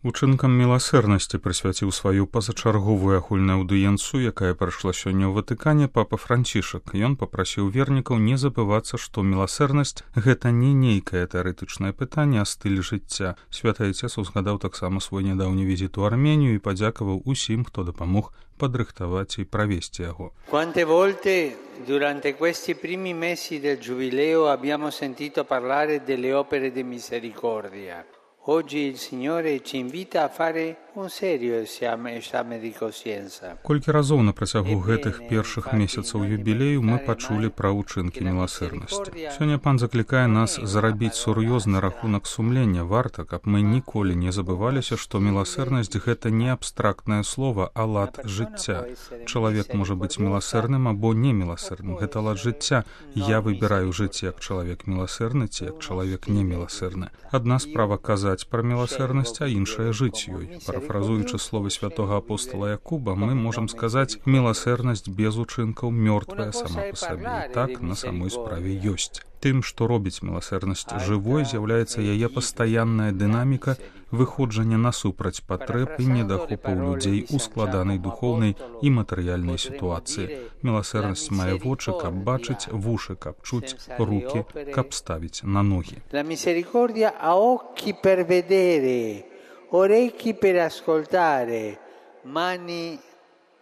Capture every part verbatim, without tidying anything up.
Учынкам міласэрнасці прысвяціў сваю пазачарговую агульную аўдыенцыю, якая прайшла сёння ў Ватыкане папа Францішак. Ён папрасіў вернікаў не забывацца, што міласэрнасць — гэта не нейкае тэарэтычнае пытанне, а стыль жыцця. Святы Айцец узгадаў таксама свой нядаўні візіт у Арменію і падзякаваў усім, хто дапамог падрыхтаваць і правесці яго. Quante volte durante questi primi mesi del Giubileo abbiamo sentito parlare delle opere di misericordia. Oggi il Signore ci invita a fare un serio esame, esame di coscienza. Колькі разоў на працягу гэтых першых месяцаў юбілею мы пачулі пра ўчынкі міласэрнасці. Сёння пан заклікае нас зарабіць сур'ёзны рахунак сумлення. Варта, каб мы ніколі не забываліся, што міласэрнасць — гэта не абстрактнае слова, а лад жыцця. Чалавек можа быць міласэрным або не міласэрным. Гэта лад жыцця. Я выбіраю жыць як чалавек міласэрны ці як чалавек не міласэрны. Адна справа казаць пра міласэрнасць, а іншая жыць ёй. Парафразуючы словы святога апостола Якуба, мы можам сказаць, міласэрнасць без учынкаў мёртвая сама па сабе. Так на самой справе ёсць. Тым, што робіць міласэрнасць жывой, з'яўляецца яе пастаянная дынаміка выходжання насупраць патрэб і недахопаў людзей у складанай духоўнай і матэрыяльнай сітуацыі. Міласэрнасць мае вочы, каб бачыць, вушы, каб чуць, рукі, каб ставіць на ногі. La misericordia ha occhi per vedere, orecchi per ascoltare, mani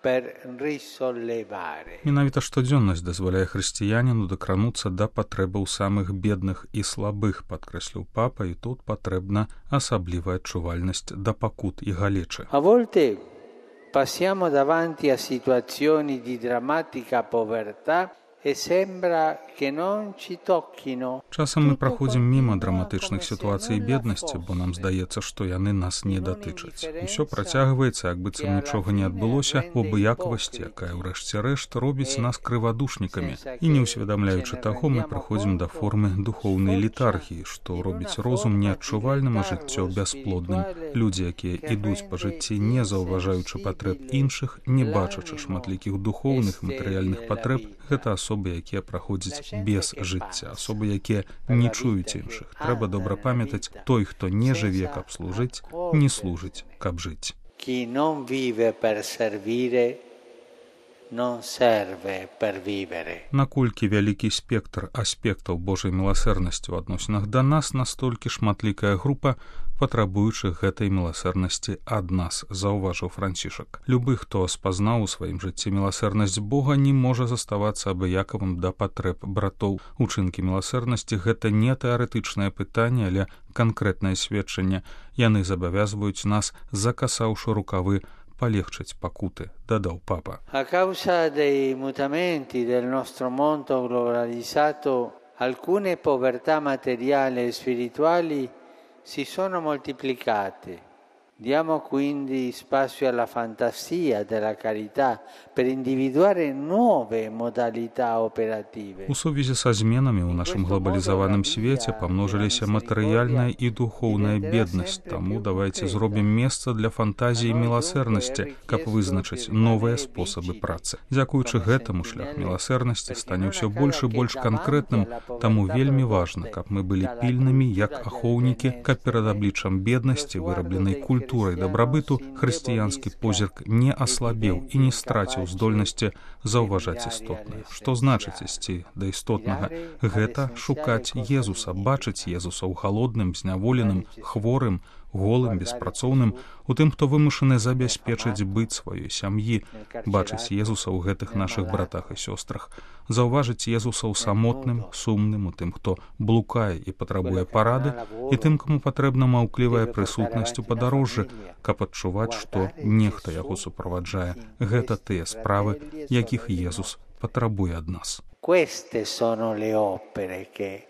per risollevare. Менавіта штодзённасць дазваляе хрысціяніну дакрануцца да патрэбаў самых бедных і слабых, падкрэсліў папа, і тут патрэбна асаблівая адчувальнасць да пакут і галечы. A volte passiamo davanti a situazioni di drammatica povertà e sembra che non ci tocchino. Часам мы праходзім міма драматычных сітуацый беднасці, бо нам здаецца, што яны нас не датычаць. Усё працягваецца, як быццам нічога не адбылося, у абыякавасці, якая ўрэшце рэшт робіць нас крывадушнікамі. І не ўсведамляючы таго, мы праходзім да формы духоўнай літаргіі, што робіць розум неадчувальным, а жыццё бясплодным. Людзі, якія ідуць па жыцці, не заўважаючы патрэб іншых, не бачачы шматлікіх духоўных матэрыяльных патрэб, гэта асобы, якія праходзяць без жыцця, асобы, якія не чуюць іншых. Трэба добра памятаць, той, хто не жыве, каб служыць, не служыць, каб жыць. Chi non vive per servire non serve per vivere. Наколькі вялікі спектр аспектаў Божай міласэрнасці ў адносінах да нас, настолькі шматлікая група патрабуючых гэтай міласэрнасці ад нас, заўважыў Францішак. Любы, хто спазнаў у сваім жыцці міласэрнасць Бога, не можа заставацца абыякавым да патрэб братоў. Учынкі міласэрнасці — гэта не тэарэтычнае пытанне, але канкрэтнае сведчанне. Яны забавязваюць нас, закасаўшы рукавы, полегчить пакуты, дадаў папа. A causa dei mutamenti del nostro mondo globalizzato, alcune povertà materiali e spirituali si sono moltiplicate. Diamo quindi spazio alla fantasia della carità per individuare nuove modalità operative. У сувязі са зменамі ў нашым глобалізаваным свеце памножыліся матэрыяльная і духоўная беднасць, таму давайце зробім месца для фантазіі міласэрнасці, каб вызначыць новыя спосабы працы. Дзякуючы гэтаму шлях міласэрнасці стане ўсё больш і больш канкрэтным, таму вельмі важна, каб мы былі пільнымі, як ахоўнікі, каб перад абліччам беднасці, вырабленай культурай, культурай дабрабыту, хрысціянскі позірк не аслабеў і не страціў здольнасці заўважаць істотнае. Што значыць ісці да істотнага? Гэта шукаць Езуса, бачыць Езуса ў галодным, зняволеным, хворым, голым, беспрацоўным, у тым, хто вымушаны забяспечыць быт сваёй сям'і, бачыць Езуса ў гэтых нашых братах і сёстрах, заўважыць Езуса ў самотным, сумным, у тым, хто блукае і патрабуе парады, і тым, каму патрэбна маўклівая прысутнасць у падарожжы, каб адчуваць, што нехта яго суправаджае. Гэта тыя справы, якіх Езус патрабуе ад нас. Queste sono le opere che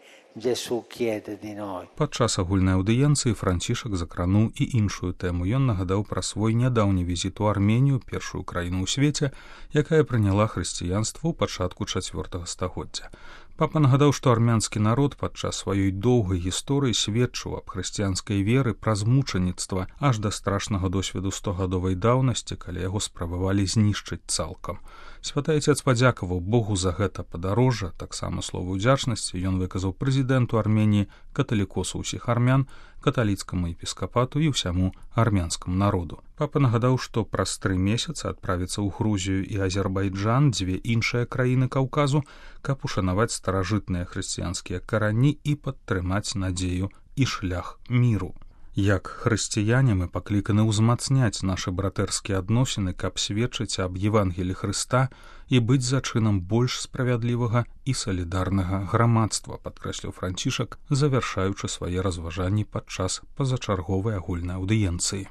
Падчас агульнай аўдыенцыі Францішак закрануў і іншую тэму. Ён нагадаў пра свой нядаўні візіт у Арменію, першую краіну ў свеце, якая прыняла хрысціянства ў пачатку чацвёртага стагоддзя. Папа нагадаў, што армянскі народ падчас сваёй доўгай гісторыі сведчыў аб хрысціянскай веры праз мучаніцтва аж да страшнага досведу стогадовай даўнасці, калі яго спрабавалі знішчыць цалкам. Святы Айцец падзякаваў Богу за гэта падарожжа, таксама словы ўдзячнасці ён выказаў прэзідэнту Арменіі, каталікосу ўсіх армян, каталіцкаму епіскапату і ўсяму армянскаму народу. Папа нагадаў, што праз тры месяцы адправіцца ў Грузію і Азербайджан, дзве іншыя краіны Каўказу, каб ушанаваць старажытныя хрысціянскія карані і падтрымаць надзею і шлях міру. Як хрысціяне мы пакліканы ўзмацняць нашы братэрскія адносіны, каб сведчыць аб Евангелі Хрыста і быць зачынам больш справядлівага і салідарнага грамадства, падкрэсліў Францішак, завяршаючы свае разважанні падчас пазачарговай агульнай аўдыенцыі.